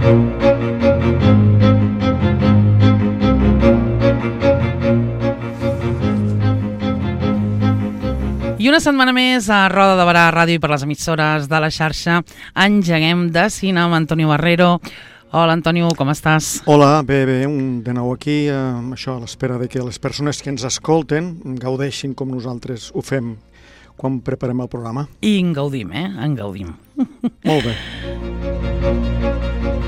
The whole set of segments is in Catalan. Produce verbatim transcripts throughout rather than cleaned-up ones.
I una setmana més a Roda de Barà Ràdio i per les emissores de la xarxa engeguem de cine amb Antonio Barrero. Hola, Antonio, com estàs? Hola, bé, bé, un, de nou aquí, eh, això a l'espera de que les persones que ens escolten gaudeixin com nosaltres ho fem quan preparem el programa. I en gaudim, eh? En gaudim. Molt bé.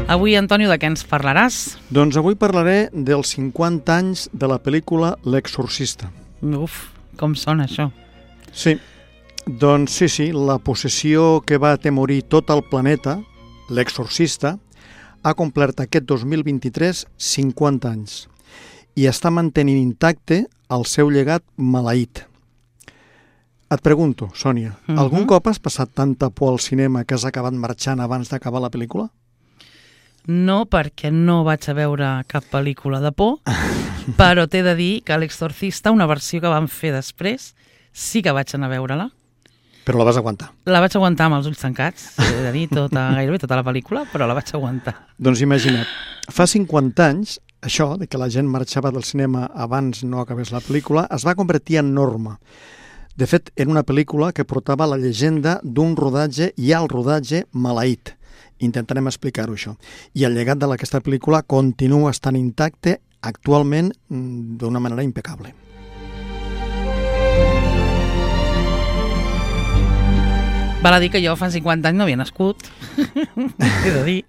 Avui, Antonio, de què ens parlaràs? Doncs avui parlaré dels cinquanta anys de la pel·lícula L'Exorcista. Uf, com sona això? Sí, doncs sí, sí, la possessió que va atemorir tot el planeta, L'Exorcista, ha complert aquest dos mil vint-i-tres cinquanta anys i està mantenint intacte el seu llegat maleït. Et pregunto, Sònia, uh-huh. algun cop has passat tanta por al cinema que has acabat marxant abans d'acabar la pel·lícula? No, perquè no vaig a veure cap pel·lícula de por, però t'he de dir que L'Exorcista, una versió que van fer després, sí que vaig anar a veure-la. Però la vas aguantar? La vaig aguantar amb els ulls tancats, he de dir, tota, gairebé tota la pel·lícula, però la vaig aguantar. Doncs imagina't, fa cinquanta anys, això, de que la gent marxava del cinema abans no acabés la pel·lícula, es va convertir en norma. De fet, era una pel·lícula que portava la llegenda d'un rodatge i al rodatge maleït. Intentarem explicar-ho, això. I el llegat d'aquesta pel·lícula continua estant intacte actualment d'una manera impecable. Val a dir que jo fa cinquanta anys no havia nascut, he de dir,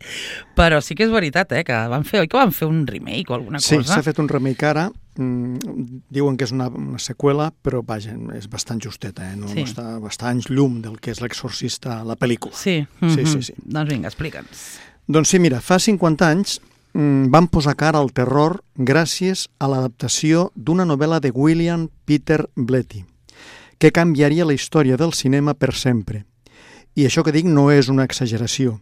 però sí que és veritat, eh, que van fer, oi que van fer un remake o alguna sí, cosa? Sí, s'ha fet un remake ara, mm, diuen que és una, una seqüela, però vaja, és bastant justeta, eh? no, sí. no està bastant llum del que és L'Exorcista, la pel·lícula. Sí, mm-hmm. sí, sí, sí. Doncs vinga, explica'ns. Doncs sí, mira, fa cinquanta anys mm, van posar cara al terror gràcies a l'adaptació d'una novel·la de William Peter Blatty, que canviaria la història del cinema per sempre. I això que dic no és una exageració.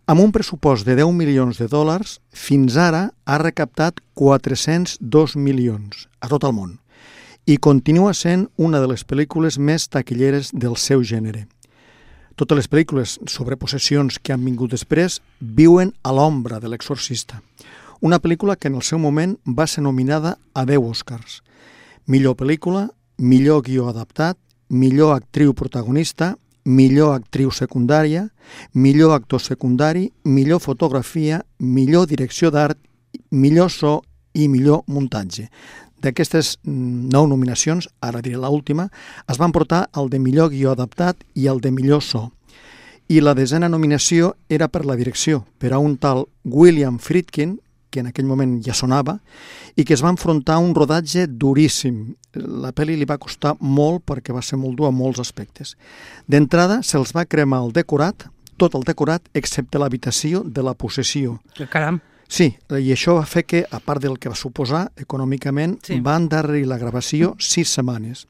Amb un pressupost de deu milions de dòlars, fins ara ha recaptat quatre-cents dos milions a tot el món i continua sent una de les pel·lícules més taquilleres del seu gènere. Totes les pel·lícules sobre possessions que han vingut després viuen a l'ombra de L'Exorcista, una pel·lícula que en el seu moment va ser nominada a deu Oscars. Millor pel·lícula, millor guió adaptat, millor actriu protagonista, millor actriu secundària, millor actor secundari, millor fotografia, millor direcció d'art, millor so i millor muntatge. D'aquestes nou nominacions, ara diré l'última, es van portar el de millor guió adaptat i el de millor so. I la desena nominació era per la direcció, per a un tal William Friedkin, que en aquell moment ja sonava, i que es va enfrontar a un rodatge duríssim. La pel·li li va costar molt perquè va ser molt dur a molts aspectes. D'entrada, se'ls va cremar el decorat, tot el decorat, excepte l'habitació de la possessió. Caram! Sí, i això va fer que, a part del que va suposar econòmicament, sí. va endarrerir la gravació sis setmanes.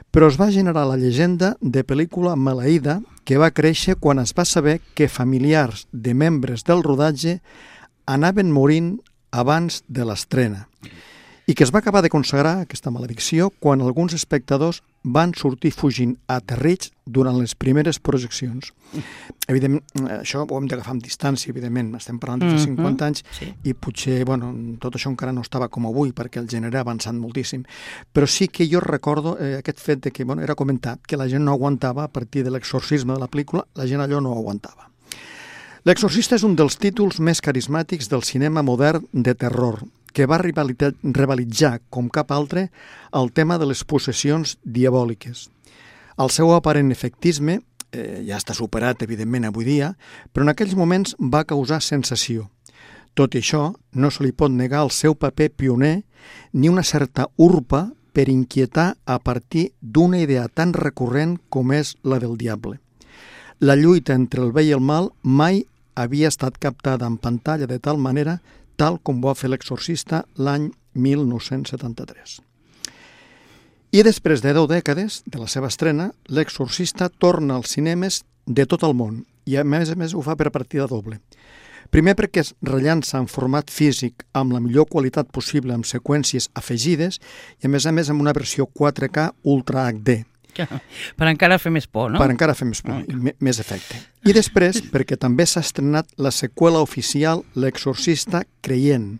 Però es va generar la llegenda de pel·lícula maleïda que va créixer quan es va saber que familiars de membres del rodatge anaven morint abans de l'estrena i que es va acabar de consagrar aquesta maledicció quan alguns espectadors van sortir fugint aterrits durant les primeres projeccions. Evidentment, això ho hem d'agafar amb distància, evidentment, estem parlant de fa cinquanta anys sí. i potser, bueno, tot això encara no estava com avui perquè el gènere ha avançat moltíssim, però sí que jo recordo eh, aquest fet de que, bueno, era comentat que la gent no aguantava a partir de l'exorcisme de la pel·lícula, la gent allò no ho aguantava. L'Exorcista és un dels títols més carismàtics del cinema modern de terror, que va rivalitzar, com cap altre, el tema de les possessions diabòliques. El seu aparent efectisme eh, ja està superat, evidentment, avui dia, però en aquells moments va causar sensació. Tot i això, no se li pot negar el seu paper pioner ni una certa urpa per inquietar a partir d'una idea tan recurrent com és la del diable. La lluita entre el bé i el mal mai havia estat captada en pantalla de tal manera tal com va fer L'Exorcista l'any mil nou-cents setanta-tres. I després de deu dècades de la seva estrena, L'Exorcista torna als cinemes de tot el món i a més a més ho fa per partida doble. Primer perquè es rellança en format físic amb la millor qualitat possible amb seqüències afegides i a més a més amb una versió quatre K Ultra H D. Per encara fer més por, no? Per encara fer més por, i més efecte. I després, perquè també s'ha estrenat la seqüela oficial L'exorcista creient,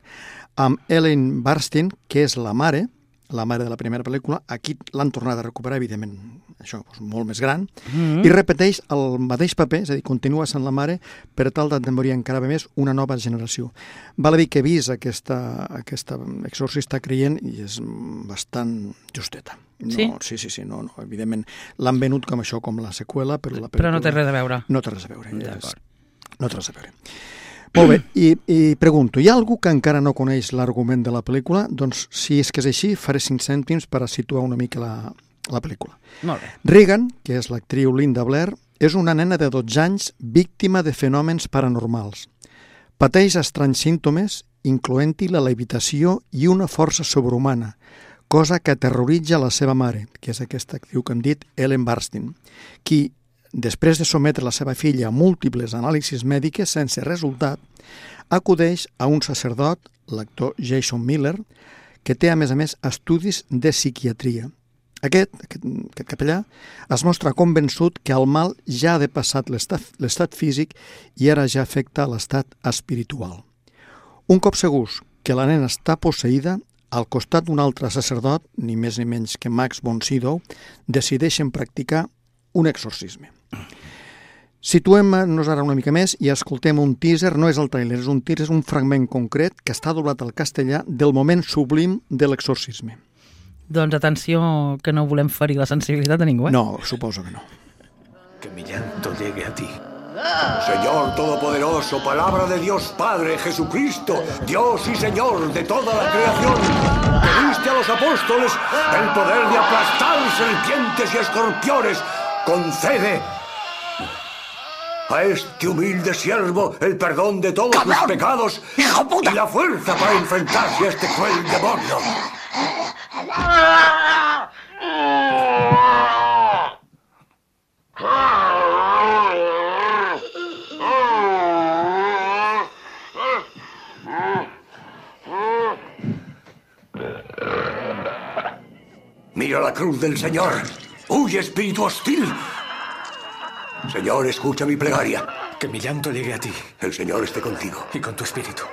amb Ellen Burstyn, que és la mare, la mare de la primera pel·lícula. Aquí l'han tornat a recuperar, evidentment, això, doncs, molt més gran, mm-hmm. i repeteix el mateix paper, és a dir, continua sent la mare per tal d'enamorir encara més una nova generació. Val a dir que he vist aquesta, aquesta exorcista creient i és bastant justeta. No, sí? Sí, sí, sí, no, no, evidentment l'han venut com això, com la seqüela, però la pel·lícula... Però no té res a veure. No té res a veure. D'acord. És... No té res a veure. Molt bé, i, i pregunto, hi ha algú que encara no coneix l'argument de la pel·lícula? Doncs si és que és així, faré cinc cèntims per a situar una mica la, la pel·lícula. Molt bé. Regan, que és l'actriu Linda Blair, és una nena de dotze anys víctima de fenòmens paranormals. Pateix estranys símptomes, incloent-hi la levitació i una força sobrehumana, cosa que aterroritza la seva mare, que és aquesta actriu que hem dit, Ellen Burstyn, qui, després de sometre la seva filla a múltiples anàlisis mèdiques sense resultat, acudeix a un sacerdot, l'actor Jason Miller, que té, a més a més, estudis de psiquiatria. Aquest, aquest, aquest capellà es mostra convençut que el mal ja ha depassat l'estat físic i ara ja afecta l'estat espiritual. Un cop segurs que la nena està posseïda, al costat d'un altre sacerdot, ni més ni menys que Max von Sydow, decideixen practicar un exorcisme. Situem-nos ara una mica més i escoltem un teaser, no és el tràiler, és un teaser, és un fragment concret que està doblat al castellà del moment sublim de l'exorcisme. Doncs atenció, que no volem ferir la sensibilitat de ningú, eh? No, suposo que no. Que mi llanto llegue a ti. Señor Todopoderoso, palabra de Dios Padre, Jesucristo, Dios y Señor de toda la creación, que diste a los apóstoles el poder de aplastar serpientes y escorpiones, concede a este humilde siervo el perdón de todos sus pecados y la fuerza para enfrentarse a este cruel demonio. Mira la cruz del Señor. Huye, espíritu hostil. Señor, escucha mi plegaria. Que mi llanto llegue a ti. El Señor esté contigo. Y con tu espíritu.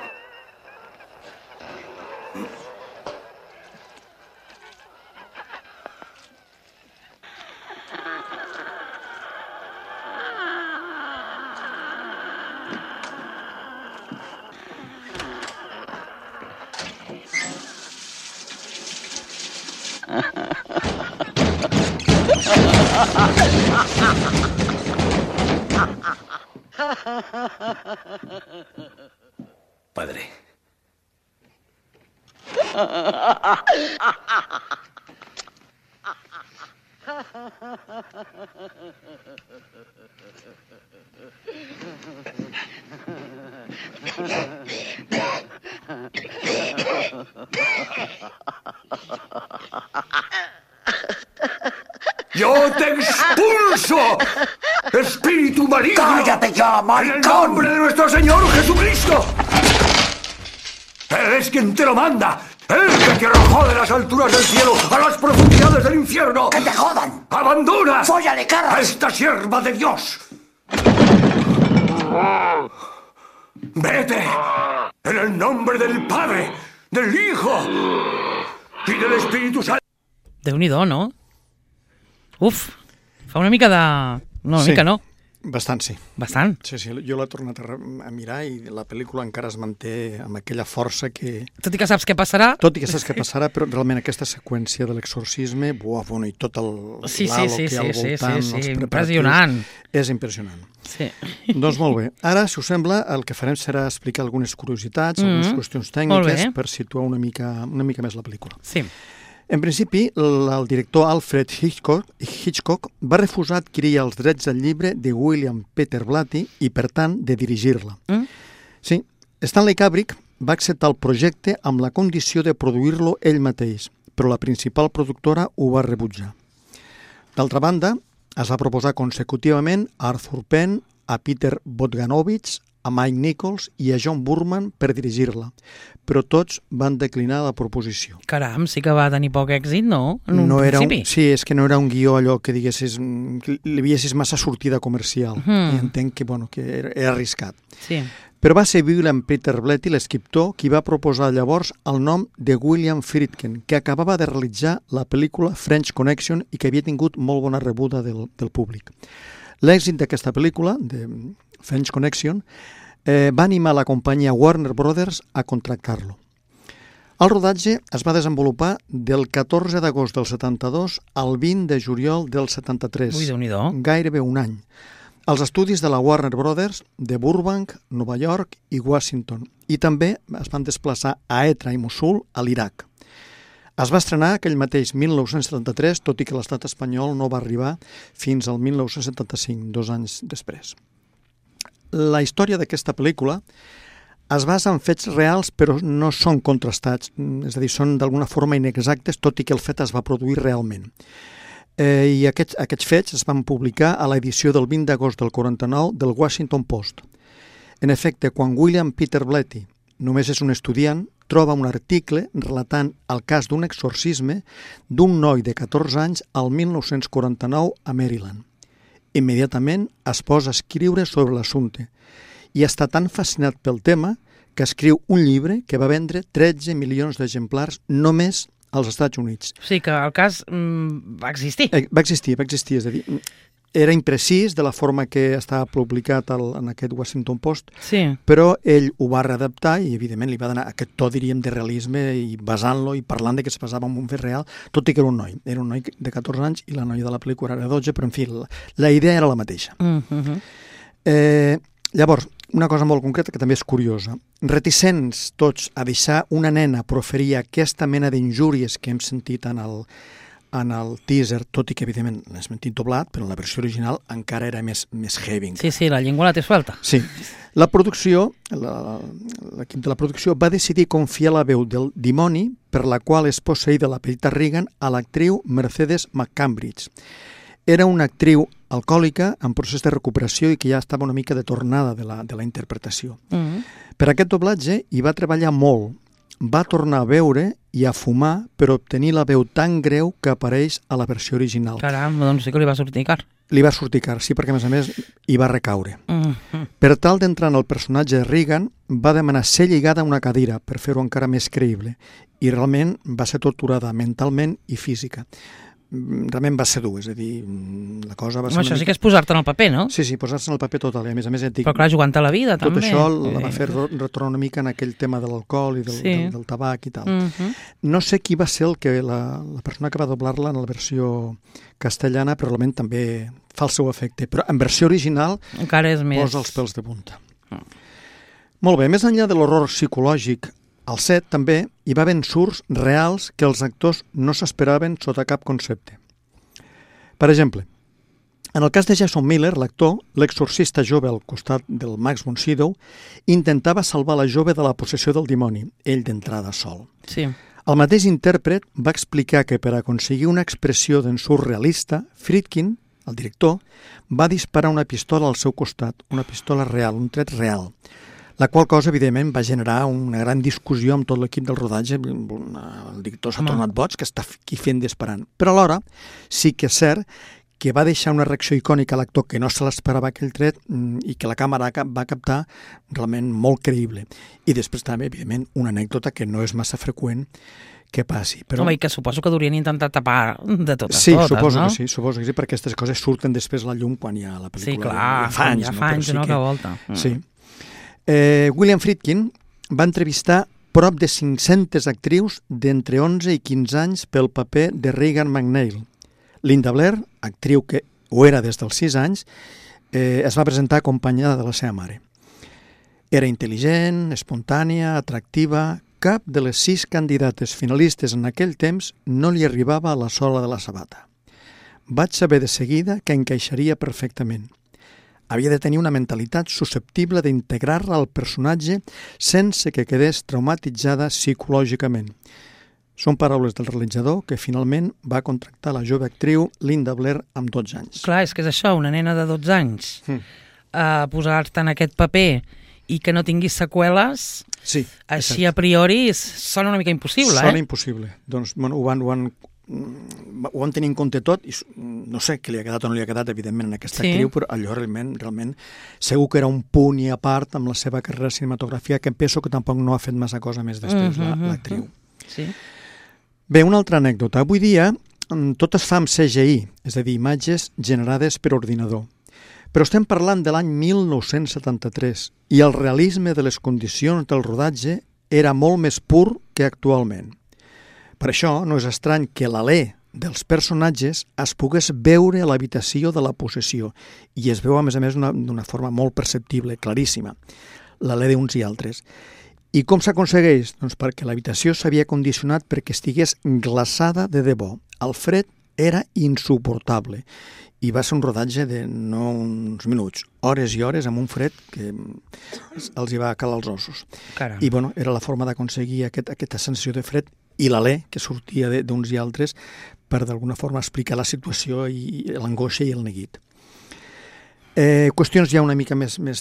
Padre. ¡Yo te expulso! ¡Espíritu maligno! ¡Cállate ya, maricón! ¡En el nombre de nuestro Señor Jesucristo! Él es quien te lo manda. Él que te arrojó de las alturas del cielo a las profundidades del infierno. ¡Que te jodan! ¡Abandona! ¡Fóllale, carras! ¡A esta sierva de Dios! ¡Vete! En el nombre del Padre, del Hijo y del Espíritu Santo. Déu-n'hi-do, no? Uf, fa una mica de... No, una sí, mica no. Bastant, sí. Bastant. Sí, sí, jo l'he tornat a, a mirar i la pel·lícula encara es manté amb aquella força que... Tot i que saps què passarà... Tot i que saps què passarà, però realment aquesta seqüència de l'exorcisme, buah, bueno, i tot el Sí, sí, l'halo sí, que hi ha al sí, voltant, sí, sí, els sí, preparatius, impressionant. És impressionant. Sí. Doncs molt bé. Ara, si us sembla, el que farem serà explicar algunes curiositats, Mm, algunes qüestions molt tècniques bé. per situar una mica, una mica més la pel·lícula. Sí. En principi, el, el director Alfred Hitchcock, Hitchcock va refusar adquirir els drets del llibre de William Peter Blatty i, per tant, de dirigir-la. Mm? Sí, Stanley Kubrick va acceptar el projecte amb la condició de produir-lo ell mateix, però la principal productora ho va rebutjar. D'altra banda, es va proposar consecutivament a Arthur Penn, a Peter Bogdanovich, a Mike Nichols i a John Boorman per dirigir-la, però tots van declinar la proposició. Caram, sí que va tenir poc èxit, no? En un no era un, principi. sí, és que no era un guió allò que diguessis, que li veiessis massa sortida comercial. Mm. I entenc que, bueno, que era, era arriscat. Sí. Però va ser William Peter Blatty, l'escriptor, qui va proposar llavors el nom de William Friedkin, que acabava de realitzar la pel·lícula French Connection i que havia tingut molt bona rebuda del, del públic. L'èxit d'aquesta pel·lícula, de French Connection, eh, va animar la companyia Warner Brothers a contractar-lo. El rodatge es va desenvolupar del catorze d'agost del setanta-dos al vint de juliol del setanta-tres. Ui, Déu-n'hi-do. Gairebé un any. Als estudis de la Warner Brothers de Burbank, Nova York i Washington. I també es van desplaçar a Etra i Mosul, a l'Iraq. Es va estrenar aquell mateix mil nou-cents setanta-tres, tot i que l'estat espanyol no va arribar fins al mil nou-cents setanta-cinc, dos anys després. La història d'aquesta pel·lícula es basa en fets reals, però no són contrastats, és a dir, són d'alguna forma inexactes, tot i que el fet es va produir realment. Eh, I aquests, aquests fets es van publicar a l'edició del vint d'agost del quaranta-nou del Washington Post. En efecte, quan William Peter Blatty només és un estudiant, troba un article relatant el cas d'un exorcisme d'un noi de catorze anys al mil nou-cents quaranta-nou a Maryland. Immediatament es posa a escriure sobre l'assumpte i està tan fascinat pel tema que escriu un llibre que va vendre tretze milions d'exemplars només als Estats Units. O sigui que el cas mm, va existir. Eh, va existir, va existir, és a dir, era imprecís de la forma que estava publicat el, en aquest Washington Post, Sí. però ell ho va readaptar i, evidentment, li va donar aquest to, diríem, de realisme i basant-lo i parlant de que es basava en un fet real, tot i que era un noi. Era un noi de catorze anys i la noia de la pel·lícula era dotze, però, en fi, la, la idea era la mateixa. Mm -hmm. Eh, llavors, una cosa molt concreta que també és curiosa. Reticents tots a deixar una nena proferir aquesta mena d'injúries que hem sentit en el, en el teaser, tot i que, evidentment, l'hem sentit doblat, però en la versió original encara era més, més heavy. Sí, sí, la llengua la té suelta. Sí. La producció, l'equip de la producció va decidir confiar la veu del dimoni per la qual és posseïda la petita Regan a l'actriu Mercedes McCambridge. Era una actriu alcohòlica en procés de recuperació i que ja estava una mica de tornada de la, de la interpretació. Mm -hmm. Per aquest doblatge hi va treballar molt. Va tornar a beure i a fumar per obtenir la veu tan greu que apareix a la versió original. Caram, doncs sí que li va sortir car. Li va sortir car, sí, perquè a més a més hi va recaure. Mm -hmm. Per tal d'entrar en el personatge de Regan, va demanar ser lligada a una cadira per fer-ho encara més creïble i realment va ser torturada mentalment i física. Realment va ser dur, és a dir, la cosa va ser... Home, això mica... sí que és posar-te en el paper, no? Sí, sí, posar-se en el paper total, i a més a més... Et dic, Però clar, jugant a la vida, tot també. això la va fer retornar una mica en aquell tema de l'alcohol i del, Sí. del, del tabac i tal. Mm -hmm. No sé qui va ser el que la, la persona que va doblar-la en la versió castellana, però realment també fa el seu efecte. Però en versió original Encara és més... posa els pèls de punta. Mm. Molt bé, més enllà de l'horror psicològic, al set també hi va haver ensurts reals que els actors no s'esperaven sota cap concepte. Per exemple, en el cas de Jason Miller, l'actor, l'exorcista jove al costat del Max von Sydow, intentava salvar la jove de la possessió del dimoni, ell d'entrada sol. Sí. El mateix intèrpret va explicar que per aconseguir una expressió d'ensurt realista, Friedkin, el director, va disparar una pistola al seu costat, una pistola real, un tret real, la qual cosa, evidentment, va generar una gran discussió amb tot l'equip del rodatge. El director s'ha tornat boig, que està aquí fent disparant. Però alhora sí que és cert que va deixar una reacció icònica a l'actor que no se l'esperava aquell tret i que la càmera va captar realment molt creïble. I després també, evidentment, una anècdota que no és massa freqüent que passi. Però... Home, i que suposo que durien intentar tapar de totes sí, totes, suposo no? que sí, suposo que sí, perquè aquestes coses surten després a la llum quan hi ha la pel·lícula. Sí, clar, ja fa anys, ja no? fa anys, Però sí no, que... que volta. Mm. Sí. Eh, William Friedkin va entrevistar prop de cinc-centes actrius d'entre onze i quinze anys pel paper de Regan McNeil. Linda Blair, actriu que ho era des dels sis anys, eh, es va presentar acompanyada de la seva mare. Era intel·ligent, espontània, atractiva. Cap de les sis candidates finalistes en aquell temps no li arribava a la sola de la sabata. Vaig saber de seguida que encaixaria perfectament. Havia de tenir una mentalitat susceptible d'integrar-la al personatge sense que quedés traumatitzada psicològicament. Són paraules del realitzador que finalment va contractar la jove actriu Linda Blair amb dotze anys. Clar, és que és això, una nena de dotze anys, Mm. a posar-te en aquest paper i que no tingui seqüeles, Sí, així exacte. a priori s- sona una mica impossible, Sona eh? impossible. Doncs bueno, ho, van, ho, van, mm, ho van tenir en compte tot i s- no sé què li ha quedat o no li ha quedat, evidentment, en aquesta Sí. actriu, però allò realment, realment segur que era un punt i a part amb la seva carrera cinematogràfica, que penso que tampoc no ha fet massa cosa més després, la- Mhm, l'actriu. Sí. Bé, una altra anècdota. Avui dia mm, tot es fa amb C G I, és a dir, imatges generades per ordinador. Però estem parlant de l'any mil nou-cents setanta-tres i el realisme de les condicions del rodatge era molt més pur que actualment. Per això no és estrany que l'alè dels personatges es pogués veure a l'habitació de la possessió i es veu, a més a més, d'una forma molt perceptible, claríssima, l'alè d'uns i altres. I com s'aconsegueix? Doncs perquè l'habitació s'havia condicionat perquè estigués glaçada de debò. El fred era insuportable i va ser un rodatge de no uns minuts, hores i hores amb un fred que els hi va calar els ossos. Caram. I bueno, era la forma d'aconseguir aquest, aquesta sensació de fred i l'alè que sortia de- d'uns i altres per d'alguna forma explicar la situació i l'angoixa i el neguit. Eh, qüestions ja una mica més, més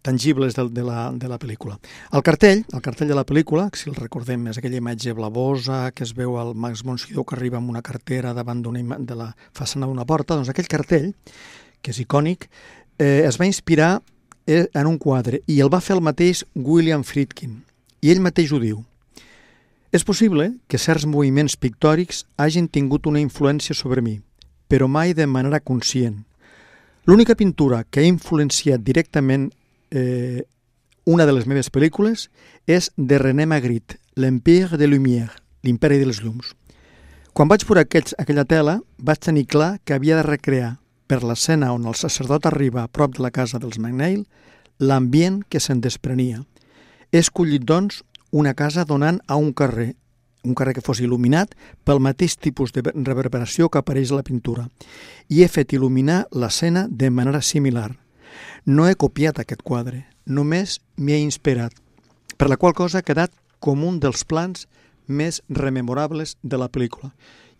tangibles de, de, la, de la pel·lícula. El cartell, el cartell de la pel·lícula, si el recordem, és aquella imatge blavosa que es veu al Max von Sydow que arriba amb una cartera davant d'una ima- de la façana d'una porta, doncs aquell cartell, que és icònic, eh, es va inspirar eh, en un quadre i el va fer el mateix William Friedkin. I ell mateix ho diu. És possible que certs moviments pictòrics hagin tingut una influència sobre mi, però mai de manera conscient. L'única pintura que ha influenciat directament eh, una de les meves pel·lícules és de René Magritte, l'Empire des Lumières, l'imperi de les llums. Quan vaig veure aquells, aquella tela, vaig tenir clar que havia de recrear, per l'escena on el sacerdot arriba a prop de la casa dels McNeil, l'ambient que se'n desprenia. He escollit, doncs, una casa donant a un carrer, un carrer que fos il·luminat pel mateix tipus de reverberació que apareix a la pintura, i he fet il·luminar l'escena de manera similar. No he copiat aquest quadre, només m'hi he inspirat, per la qual cosa ha quedat com un dels plans més rememorables de la pel·lícula.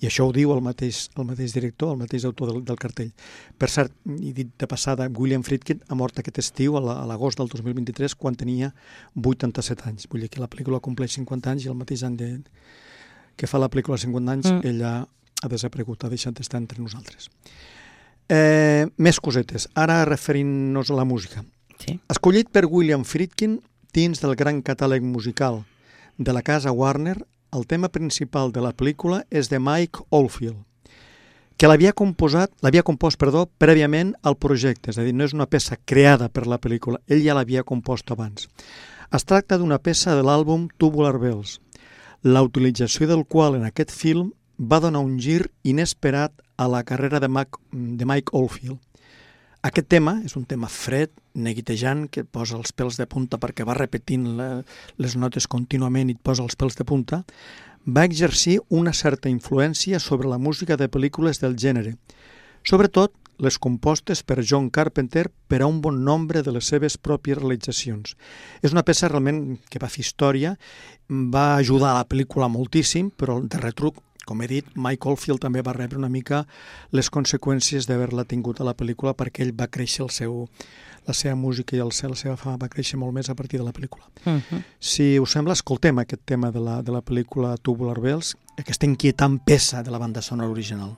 I això ho diu el mateix, el mateix director, el mateix autor del, del cartell. Per cert, i dit de passada, William Friedkin ha mort aquest estiu, a la- a l'agost del dos mil vint-i-tres, quan tenia vuitanta-set anys. Vull dir que la pel·lícula compleix cinquanta anys i el mateix any de, que fa la pel·lícula cinquanta anys, Mm. ella ha desaparegut, ha deixat d'estar entre nosaltres. Eh, més cosetes. Ara referint-nos a la música. Sí. Escollit per William Friedkin dins del gran catàleg musical de la casa Warner, el tema principal de la pel·lícula és de Mike Oldfield, que l'havia composat, l'havia compost, perdó, prèviament al projecte, és a dir, no és una peça creada per la pel·lícula, ell ja l'havia compost abans. Es tracta d'una peça de l'àlbum Tubular Bells, la utilització del qual en aquest film va donar un gir inesperat a la carrera de, Mac, de Mike Oldfield. Aquest tema és un tema fred, neguitejant, que et posa els pèls de punta perquè va repetint la, les notes contínuament i et posa els pèls de punta, va exercir una certa influència sobre la música de pel·lícules del gènere, sobretot les compostes per John Carpenter per a un bon nombre de les seves pròpies realitzacions. És una peça realment que va fer història, va ajudar a la pel·lícula moltíssim, però de retruc, com he dit, Mike Oldfield també va rebre una mica les conseqüències d'haver-la tingut a la pel·lícula perquè ell va créixer el seu, la seva música i el, la seva fama va créixer molt més a partir de la pel·lícula. Uh -huh. Si us sembla, escoltem aquest tema de la, de la pel·lícula Tubular Bells, aquesta inquietant peça de la banda sonora original.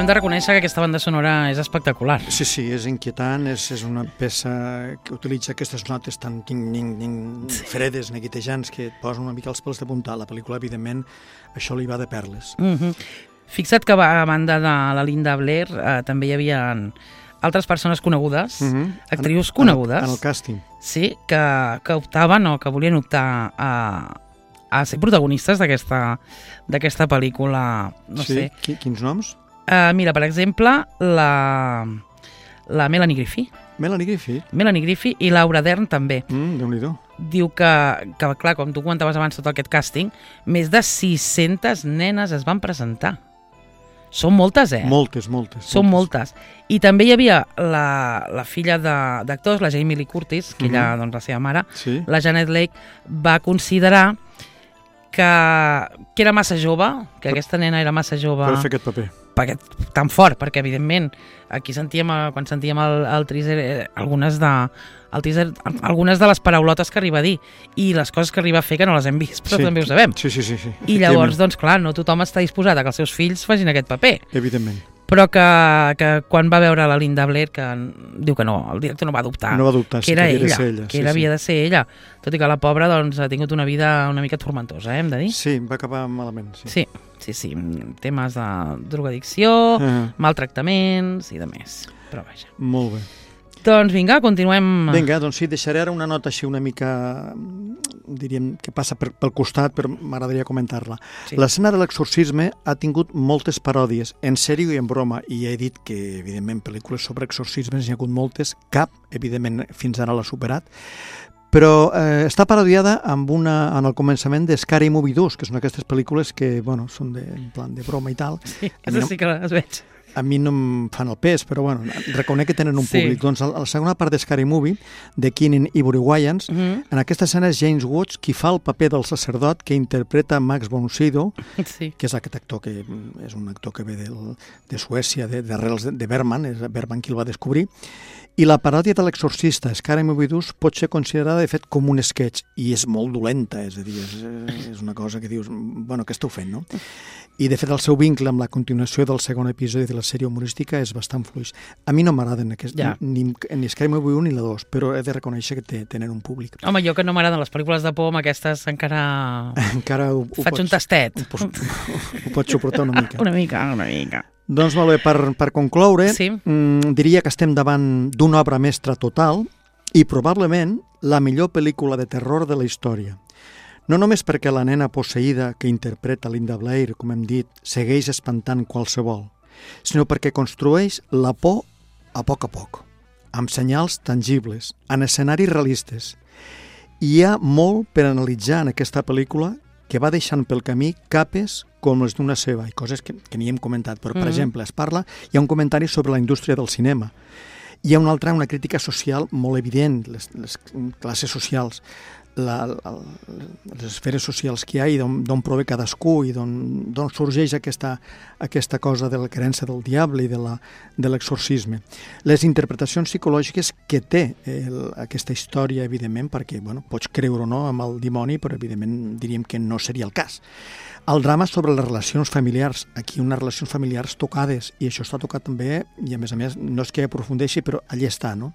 hem de reconèixer que aquesta banda sonora és espectacular. Sí, sí, és inquietant, és, és una peça que utilitza aquestes notes tan ting, ning, ning, fredes, neguitejants, que et posen una mica els pèls de punta. La pel·lícula, evidentment, això li va de perles. Mm-hmm. Fixa't que a banda de la Linda Blair eh, també hi havia altres persones conegudes, mm-hmm. actrius conegudes. En el, en el càsting. Sí, que, que optaven o que volien optar a... a ser protagonistes d'aquesta d'aquesta pel·lícula, no sí? sé. Qui, quins noms? Uh, mira, per exemple, la, la Melanie Griffith. Melanie Griffith? Melanie Griffith i Laura Dern també. Mm, Déu-n'hi-do. Diu que, que, clar, com tu comentaves abans tot aquest càsting, més de sis-centes nenes es van presentar. Són moltes, eh? Moltes, moltes. Són moltes. moltes. I també hi havia la, la filla d'actors, la Jamie Lee Curtis, que mm-hmm. ella, doncs, la seva mare, sí? La Janet Leigh, va considerar que, que era massa jove, que aquesta nena era massa jove... Per fer aquest paper. Perquè, tan fort, perquè evidentment aquí sentíem, quan sentíem el, el teaser, eh, algunes de, el teaser, algunes de les paraulotes que arriba a dir i les coses que arriba a fer que no les hem vist, però sí, també ho sabem. Sí, sí, sí, sí. I llavors, doncs clar, no tothom està disposat a que els seus fills facin aquest paper. Evidentment. Però que, que quan va veure la Linda Blair, que diu que no, el director no va dubtar, no va dubtar que era sí, que ella, ella, que sí, era, havia sí. de ser ella, tot i que la pobra doncs, ha tingut una vida una mica tormentosa, eh, hem de dir. Sí, va acabar malament. Sí, sí, sí, sí. Temes de drogadicció, uh-huh. maltractaments i de més, però vaja. Molt bé. Doncs vinga, continuem... Vinga, doncs sí, deixaré ara una nota així una mica, diríem, que passa per, pel costat, però m'agradaria comentar-la. Sí. L'escena de l'exorcisme ha tingut moltes paròdies, en sèrio i en broma, i ja he dit que, evidentment, pel·lícules sobre exorcismes n'hi ha hagut moltes, cap, evidentment, fins ara l'ha superat, però eh, està parodiada amb una, en el començament de Scary Movie dos, que són aquestes pel·lícules que, bueno, són de, en plan de broma i tal. Sí, això sí que les veig. A mi no em fan el pes, però bueno, reconec que tenen un públic. Sí. Doncs a la segona part de Scary Movie, de Keenan Ivory Wayans, mm-hmm. en aquesta escena és James Woods qui fa el paper del sacerdot que interpreta Max von Sydow, sí. que és aquest actor que és un actor que ve del, de Suècia, d'arrels de, de Bergman, és Bergman qui el va descobrir, i la paròdia de l'exorcista, Scary Movie dos, pot ser considerada, de fet, com un sketch, i és molt dolenta, és a dir, és, és una cosa que dius, bueno, què esteu fent, no? I, de fet, el seu vincle amb la continuació del segon episodi de la sèrie humorística és bastant fluix. A mi no m'agraden aquest, ja. ni, ni Scary Movie un ni la dos, però he de reconèixer que té, tenen un públic. Home, jo que no m'agraden les pel·lícules de por, amb aquestes encara, encara ho, ho faig pots, un tastet. Ho, pots, ho pots suportar una mica. Una mica, una mica. Doncs molt bé, per, per concloure, sí. mmm, diria que estem davant d'una obra mestra total i probablement la millor pel·lícula de terror de la història. No només perquè la nena posseïda que interpreta Linda Blair, com hem dit, segueix espantant qualsevol, sinó perquè construeix la por a poc a poc, amb senyals tangibles, en escenaris realistes. Hi ha molt per analitzar en aquesta pel·lícula que va deixant pel camí capes com les d'una seva, i coses que, que ni hem comentat, però, per mm-hmm. exemple, es parla, hi ha un comentari sobre la indústria del cinema. Hi ha una altra, una crítica social molt evident, les, les classes socials, la, la, les esferes socials que hi ha i d'on prové cadascú i d'on sorgeix aquesta, aquesta cosa de la creença del diable i de l'exorcisme. Les interpretacions psicològiques que té el, aquesta història, evidentment, perquè bueno, pots creure o no amb el dimoni, però evidentment diríem que no seria el cas. El drama sobre les relacions familiars, aquí unes relacions familiars tocades, i això està tocat també, i a més a més, no és que aprofundeixi, però allà està, no?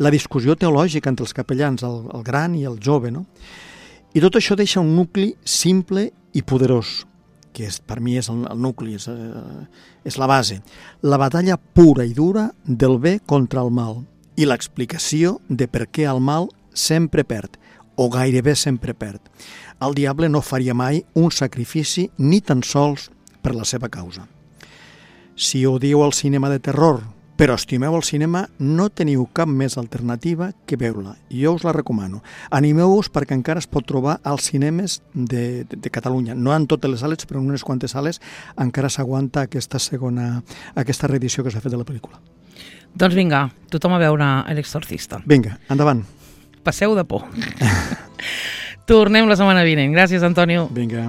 La discussió teològica entre els capellans, el, el gran i el jove, no? I tot això deixa un nucli simple i poderós, que és, per mi és el, el nucli, és, eh, és la base. La batalla pura i dura del bé contra el mal, i l'explicació de per què el mal sempre perd, o gairebé sempre perd. El diable no faria mai un sacrifici ni tan sols per la seva causa. Si odieu el cinema de terror, però estimeu el cinema, no teniu cap més alternativa que veure-la. Jo us la recomano. Animeu-vos perquè encara es pot trobar als cinemes de, de, de Catalunya. No en totes les sales, però en unes quantes sales encara s'aguanta aquesta segona, aquesta reedició que s'ha fet de la pel·lícula. Doncs vinga, tothom a veure L'Exorcista. Vinga, endavant. Passeu de por. Tornem la setmana vinent. Gràcies, Antonio. Vinga.